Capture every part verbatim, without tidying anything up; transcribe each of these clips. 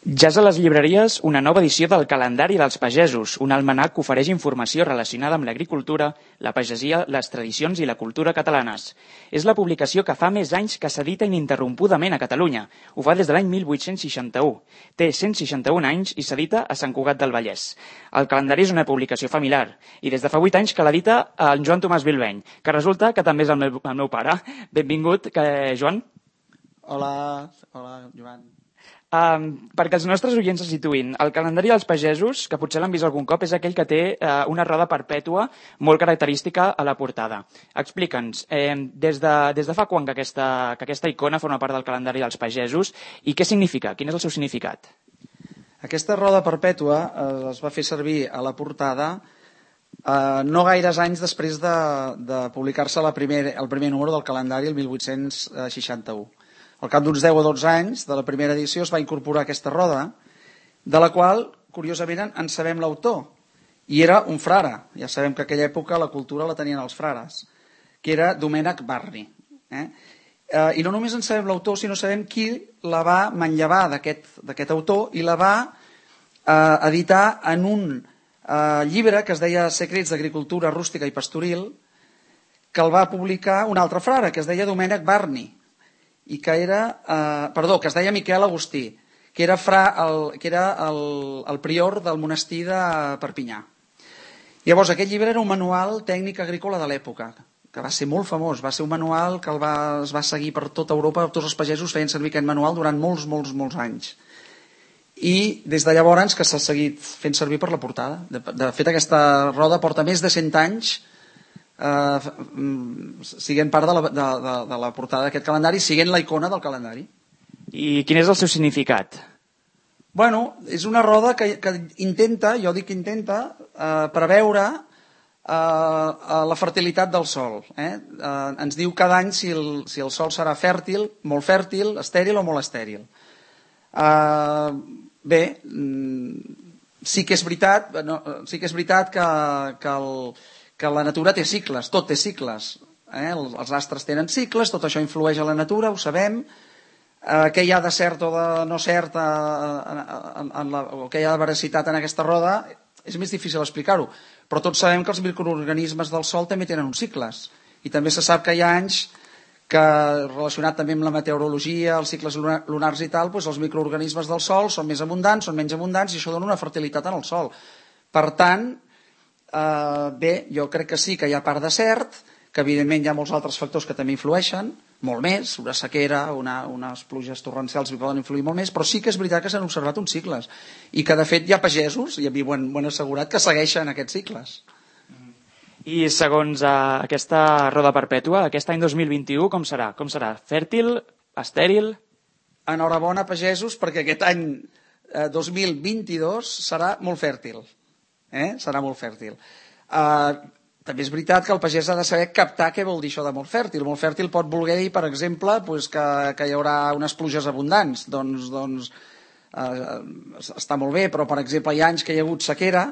Ja és a les llibreries una nova edició del Calendari dels Pagesos, un almanac que ofereix informació relacionada amb l'agricultura, la pagesia, les tradicions i la cultura catalanes. És la publicació que fa més anys que s'edita ininterrompudament a Catalunya. Ho fa des de l'any mil vuit-cents seixanta-u. Té cent seixanta-un anys i s'edita a Sant Cugat del Vallès. El calendari és una publicació familiar i des de fa vuit anys que l'edita en Joan Tomàs Bilbeny, que resulta que també és el meu, el meu pare. Benvingut, que, Joan. Hola, hola, Joan. Um, perquè els nostres oients se situïn, el calendari dels pagesos, que potser l'han vist algun cop, és aquell que té uh, una roda perpètua molt característica a la portada. Explica'ns, eh, des, de, des de fa quan que aquesta, que aquesta icona forma part del calendari dels pagesos i què significa? Quin és el seu significat? Aquesta roda perpètua eh, es va fer servir a la portada eh, no gaires anys després de, de publicar-se la primer, el primer número del calendari, el mil vuit-cents seixanta-u. Al cap d'uns deu o dotze anys de la primera edició es va incorporar aquesta roda, de la qual, curiosament, en sabem l'autor. I era un frare. Ja sabem que en aquella època la cultura la tenien els frares, que era Domènec Barni. Eh? Eh, I no només en sabem l'autor, sinó sabem qui la va manllevar d'aquest autor i la va eh, editar en un eh, llibre que es deia Secrets d'Agricultura Rústica i Pastoril, que el va publicar un altre frare, que es deia Domènec Barni, i que era, eh, perdó, que es deia Miquel Agustí, que era, fra, el, que era el, el prior del monestir de Perpinyà. Llavors, aquest llibre era un manual tècnic agrícola de l'època, que va ser molt famós, va ser un manual que el va, es va seguir per tota Europa, tots els pagesos feien servir aquest manual durant molts, molts, molts anys. I des de llavors que s'ha seguit fent servir per la portada. De, de fet, aquesta roda porta més de cent anys Uh, siguent part de la, de, de, de la portada d'aquest calendari, siguent la icona del calendari. I quin és el seu significat? Bueno, és una roda que, que intenta, jo dic que intenta, uh, preveure uh, la fertilitat del sol. Eh? Uh, ens diu cada any si el, si el sol serà fèrtil, molt fèrtil, estèril o molt estèril. Uh, bé, sí que és veritat, no, sí que és veritat que, que el que la natura té cicles, tot té cicles. Eh? Els astres tenen cicles, tot això influeix a la natura, ho sabem. Eh, què hi ha de cert o de no cert, eh, en, en la, o què hi ha de veracitat en aquesta roda, és més difícil explicar-ho. Però tots sabem que els microorganismes del Sol també tenen uns cicles. I també se sap que hi ha anys que, relacionat també amb la meteorologia, els cicles lunars i tal, doncs els microorganismes del Sol són més abundants, són menys abundants, i això dona una fertilitat en el Sol. Per tant, Uh, bé, jo crec que sí que hi ha part de cert, que evidentment hi ha molts altres factors que també influeixen, molt més, una sequera, una, unes pluges torrencials hi poden influir molt més, però sí que és veritat que s'han observat uns cicles i que de fet hi ha pagesos, i a mi ho han, ho han assegurat, que segueixen aquests cicles. I segons uh, aquesta roda perpètua, aquest any dos mil vint-i-u com serà? Com serà? Fèrtil? Estèril? Enhorabona, pagesos, perquè aquest any eh, dos mil vint-i-dos serà molt fèrtil. Eh? Serà molt fèrtil. Uh, també és veritat que el pagès ha de saber captar què vol dir això de molt fèrtil. Molt fèrtil pot voler dir, per exemple, pues, que, que hi haurà unes pluges abundants. Doncs, doncs uh, està molt bé, però per exemple hi ha anys que hi ha hagut sequera,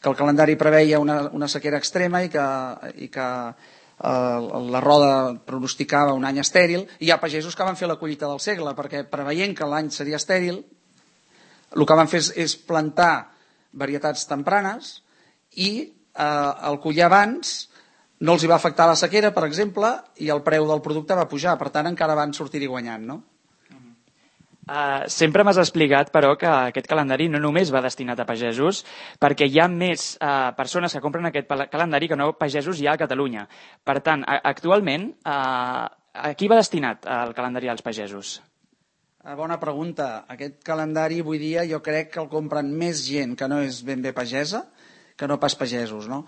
que el calendari preveia una, una sequera extrema i que, i que uh, la roda pronosticava un any estèril, i hi ha pagesos que van fer la collita del segle, perquè preveient que l'any seria estèril, el que van fer és, és plantar varietats tempranes i eh, el collir abans no els hi va afectar la sequera, per exemple, i el preu del producte va pujar, per tant encara van sortir-hi guanyant, no? Uh, sempre m'has explicat, però, que aquest calendari no només va destinat a pagesos, perquè hi ha més uh, persones que compren aquest calendari que no pagesos hi ha a Catalunya. Per tant, a actualment, uh, a qui va destinat el calendari als pagesos? Bona pregunta. Aquest calendari avui dia jo crec que el compren més gent que no és ben bé pagesa que no pas pagesos, no?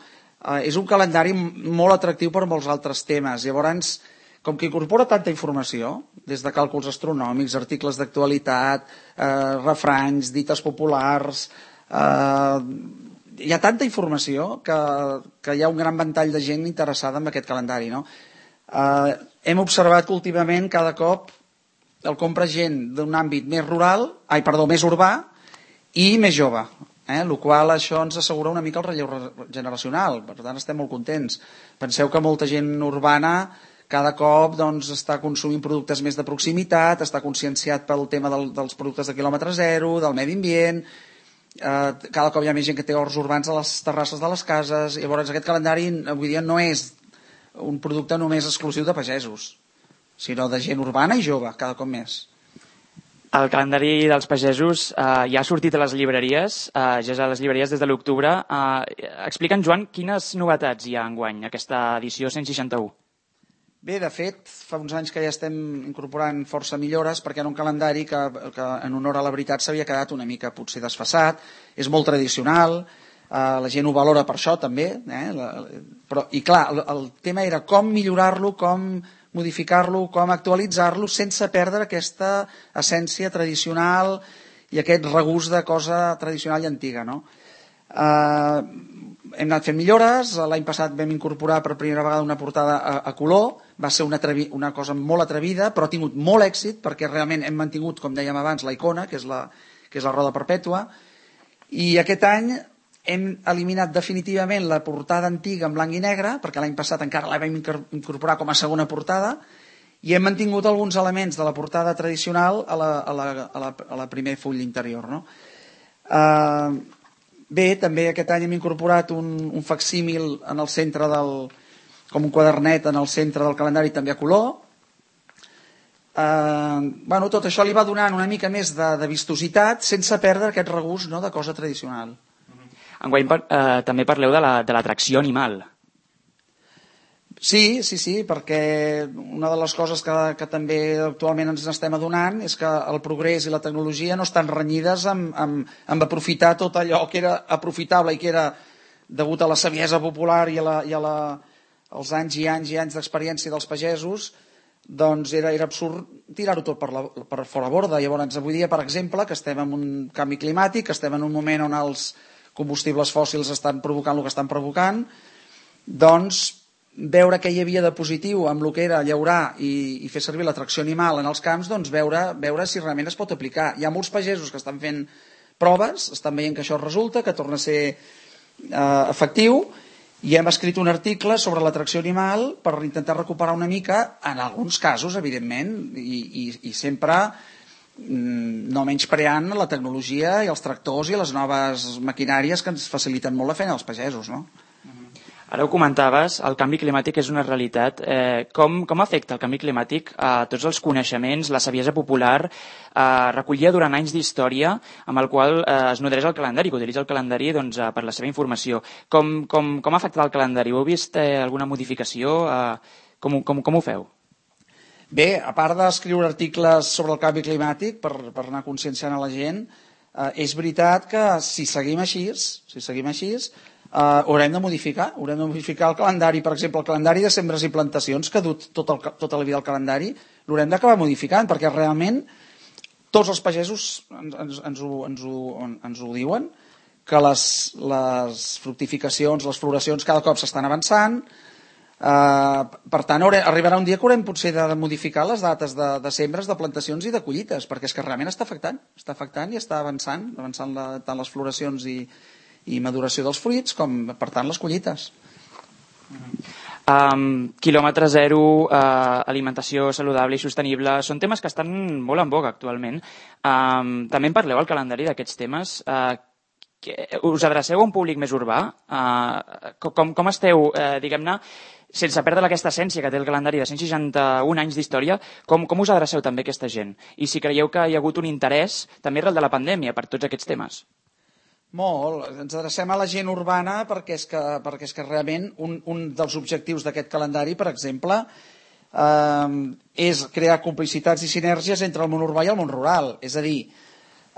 Uh, és un calendari molt atractiu per molts altres temes. Llavors, com que incorpora tanta informació, des de càlculs astronòmics, articles d'actualitat, uh, refranys, dites populars, uh, hi ha tanta informació que, que hi ha un gran ventall de gent interessada en aquest calendari, no? Uh, hem observat que últimament cada cop el compra gent d'un àmbit més rural, ai, perdó, més urbà i més jove, eh? El qual això ens assegura una mica el relleu generacional, per tant estem molt contents. Penseu que molta gent urbana cada cop doncs, està consumint productes més de proximitat, està conscienciat pel tema del, dels productes de quilòmetre zero, del medi ambient, eh, cada cop hi ha més gent que té horts urbans a les terrasses de les cases, i llavors aquest calendari avui dia no és un producte només exclusiu de pagesos, sinó de gent urbana i jove, cada cop més. El calendari dels pagesos eh, ja ha sortit a les llibreries, eh, ja és a les llibreries des de l'octubre. Eh, Explica'ns, Joan, quines novetats hi ha enguany, aquesta edició cent seixanta-u? Bé, de fet, fa uns anys que ja estem incorporant força millores perquè era un calendari que, que en honor a la veritat s'havia quedat una mica potser desfasat, és molt tradicional, eh, la gent ho valora per això també, eh, la, però, i clar, el, el tema era com millorar-lo, com modificar-lo, com actualitzar-lo sense perdre aquesta essència tradicional i aquest regust de cosa tradicional i antiga, no? Eh, hem anat fent millores, l'any passat vam incorporar per primera vegada una portada a, a color, va ser una, atrevi, una cosa molt atrevida, però ha tingut molt èxit perquè realment hem mantingut, com dèiem abans, la icona, que és la, que és la roda perpètua, i aquest any hem eliminat definitivament la portada antiga en blanc i negre, perquè l'any passat encara la vam incorporar com a segona portada, i hem mantingut alguns elements de la portada tradicional a la, a la, a la, a la primer full interior. No? Uh, bé, també aquest any hem incorporat un, un facsímil en el centre del, com un quadernet en el centre del calendari també a color. Uh, bueno, tot això li va donant una mica més de, de vistositat sense perdre aquest regust, no, de cosa tradicional. Enguany eh, també parleu de l'atracció la, animal. Sí, sí, sí, perquè una de les coses que, que també actualment ens estem adonant és que el progrés i la tecnologia no estan renyides amb, amb, amb aprofitar tot allò que era aprofitable i que era degut a la saviesa popular i, a la, i a la, als anys i anys i anys d'experiència dels pagesos, doncs era, era absurd tirar-ho tot per, la, per fora borda. Llavors, avui dia, per exemple, que estem en un canvi climàtic, que estem en un moment on els combustibles fòssils estan provocant el que estan provocant, doncs veure què hi havia de positiu amb el que era llaurar i, i fer servir l'atracció animal en els camps, doncs veure, veure si realment es pot aplicar. Hi ha molts pagesos que estan fent proves, estan veient que això resulta, que torna a ser eh, efectiu, i hem escrit un article sobre l'atracció animal per intentar recuperar una mica, en alguns casos, evidentment, i, i, i sempre no menyspreant la tecnologia i els tractors i les noves maquinàries que ens faciliten molt la feina als pagesos, no? Ara ho comentaves, el canvi climàtic és una realitat. Eh, com, com afecta el canvi climàtic a tots els coneixements, la saviesa popular, eh, recollida durant anys d'història, amb el qual eh, es nodreix el calendari, que utilitza el calendari doncs, eh, per la seva informació. Com, com, com ha afectat el calendari? Heu vist eh, alguna modificació? Eh, com, com, com ho feu? Bé, a part d'escriure articles sobre el canvi climàtic per, per anar conscienciant a la gent, eh, és veritat que si seguim així, si seguim així, eh, haurem de modificar, haurem de modificar el calendari. Per exemple, el calendari de sembres i plantacions, que ha dut tot el, tota la vida del calendari, l'haurem d'acabar modificant, perquè realment tots els pagesos ens, ens, ens, ho, ens, ho, ens ho diuen, que les, les fructificacions, les floracions cada cop s'estan avançant. Uh, per tant, haurem, arribarà un dia que haurem potser de modificar les dates de, de sembres, de plantacions i de collites, perquè és que realment està afectant, està afectant i està avançant, avançant la, tant les floracions i, i maduració dels fruits, com per tant les collites. Um, quilòmetre zero, uh, alimentació saludable i sostenible, són temes que estan molt en boga actualment. Um, també en parleu al calendari d'aquests temes. Uh, que, us adreceu a un públic més urbà? Uh, com, com esteu, uh, diguem-ne, sense perdre aquesta essència que té el calendari de cent seixanta-un anys d'història, com, com us adreceu també a aquesta gent? I si creieu que hi ha hagut un interès també arrel de la pandèmia per tots aquests temes? Molt. Ens adrecem a la gent urbana perquè és que, perquè és que realment un, un dels objectius d'aquest calendari, per exemple, eh, és crear complicitats i sinergies entre el món urbà i el món rural. És a dir,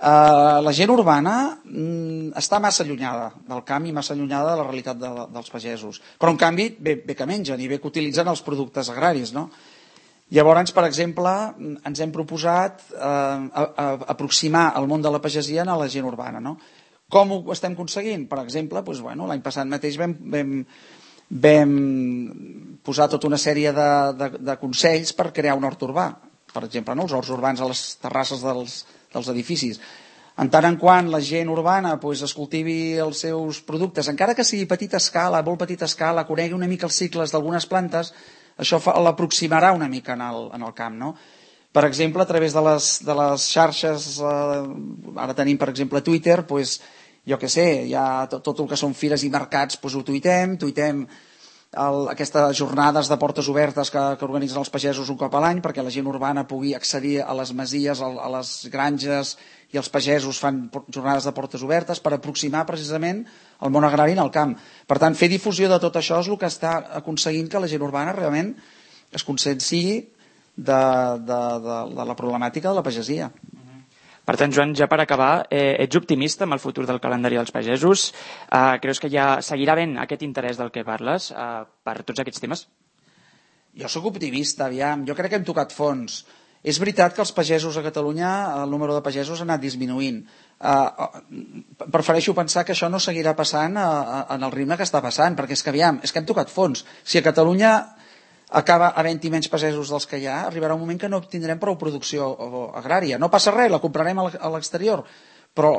Uh, la gent urbana mm, està massa allunyada del camp i massa allunyada de la realitat de, dels pagesos, però en canvi bé, bé que mengen i bé que utilitzen els productes agraris, no? Llavors, per exemple, ens hem proposat uh, a, a, aproximar el món de la pagesia a la gent urbana, no? Com ho estem aconseguint? Per exemple, doncs, bueno, l'any passat mateix vam, vam, vam posar tota una sèrie de, de, de consells per crear un hort urbà, per exemple, no? Els horts urbans a les terrasses dels dels edificis. En tant en quant la gent urbana pues, es cultivi els seus productes, encara que sigui a petita escala, a molt petita escala, conegui una mica els cicles d'algunes plantes, això l'aproximarà una mica en el, en el camp, no? Per exemple, a través de les, de les xarxes, eh, ara tenim, per exemple, Twitter, doncs, jo què sé, hi ha tot, tot el que són fires i mercats, doncs ho tuitem, tuitem el, aquestes jornades de portes obertes que, que organitzen els pagesos un cop a l'any perquè la gent urbana pugui accedir a les masies, a, a les granges, i els pagesos fan jornades de portes obertes per aproximar precisament el món agrari al camp. Per tant, fer difusió de tot això és el que està aconseguint que la gent urbana realment es conscienciï de, de, de, de la problemàtica de la pagesia. Per tant, Joan, ja per acabar, eh, ets optimista amb el futur del calendari dels pagesos? Eh, creus que ja seguirà havent aquest interès del que parles eh, per tots aquests temes? Jo sóc optimista, aviam. Jo crec que hem tocat fons. És veritat que els pagesos a Catalunya, el número de pagesos ha anat disminuint. Uh, prefereixo pensar que això no seguirà passant a, a, en el ritme que està passant, perquè és que, aviam, és que hem tocat fons. Si a Catalunya acaba havent-hi menys pagesos dels que hi ha, arribarà un moment que no obtindrem prou producció agrària. No passa res, la comprarem a l'exterior, però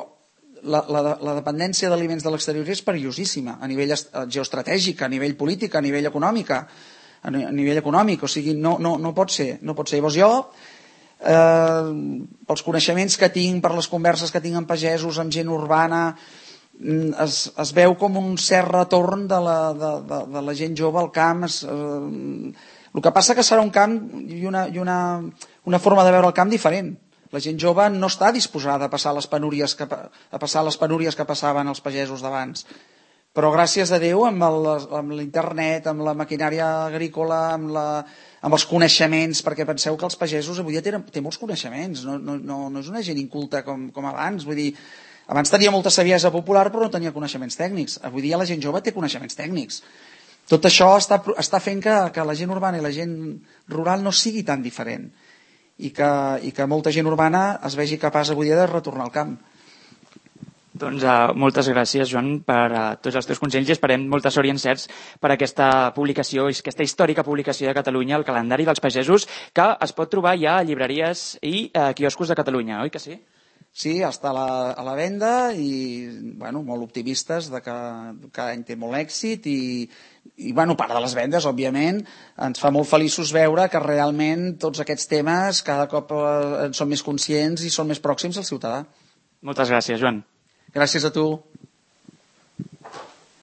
la, la, la dependència d'aliments de l'exterior és perillosíssima a nivell geoestratègic, a nivell polític, a nivell econòmic, a nivell econòmic, o sigui, no, no, no pot ser. No pot ser. Llavors jo, eh, pels coneixements que tinc, per les converses que tinc amb pagesos, amb gent urbana, Es, es veu com un cert retorn de la, de, de, de la gent jove al camp. Es, eh, el que passa que serà un camp i, una, i una, una forma de veure el camp diferent. La gent jove no està disposada a passar les penúries que, a passar les penúries que passaven els pagesos d'abans. Però gràcies a Déu, amb, el, amb l'internet, amb la maquinària agrícola, amb, la, amb els coneixements, perquè penseu que els pagesos avui dia tenen, tenen molts coneixements, no, no, no, no és una gent inculta com, com abans, vull dir, abans tenia molta saviesa popular però no tenia coneixements tècnics. Avui dia la gent jove té coneixements tècnics. Tot això està, està fent que, que la gent urbana i la gent rural no sigui tan diferent i que, i que molta gent urbana es vegi capaç avui dia de retornar al camp. Doncs uh, moltes gràcies, Joan, per uh, tots els teus consells i esperem molta sort i encerts per aquesta publicació, aquesta històrica publicació de Catalunya, el calendari dels pagesos, que es pot trobar ja a llibreries i uh, quioscos de Catalunya, oi que sí? Sí, està a la, a la venda i bueno, molt optimistes de que cada any té molt èxit i, i bueno, part de les vendes, òbviament, ens fa molt feliços veure que realment tots aquests temes cada cop en són més conscients i són més pròxims al ciutadà. Moltes gràcies, Joan. Gràcies a tu.